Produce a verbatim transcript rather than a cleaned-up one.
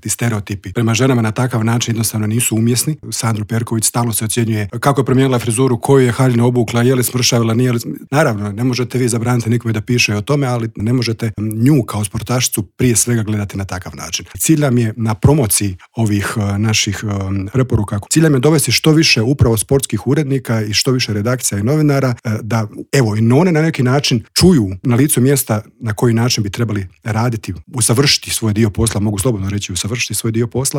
Ti stereotipi prema ženama na takav način jednostavno nisu umjesni. Sandru Perković stalno se ocjenjuje kako je promijenila frizuru, koju je haljinu obukla, je li smršavila, nije li... Naravno, ne možete vi zabraniti nikome da piše o tome, ali ne možete nju kao sportašicu prije svega gledati na takav način. Cilj nam je na promociji ovih uh, naših um, preporuka. Cilj nam je dovesti što više upravo sportskih urednika i što više redakcija i novinara uh, da, evo, i one na neki način čuju na licu mjesta na koji način bi trebali raditi, usavršiti svoj dio posla, mogu slobodno reći usavršiti svoj dio posla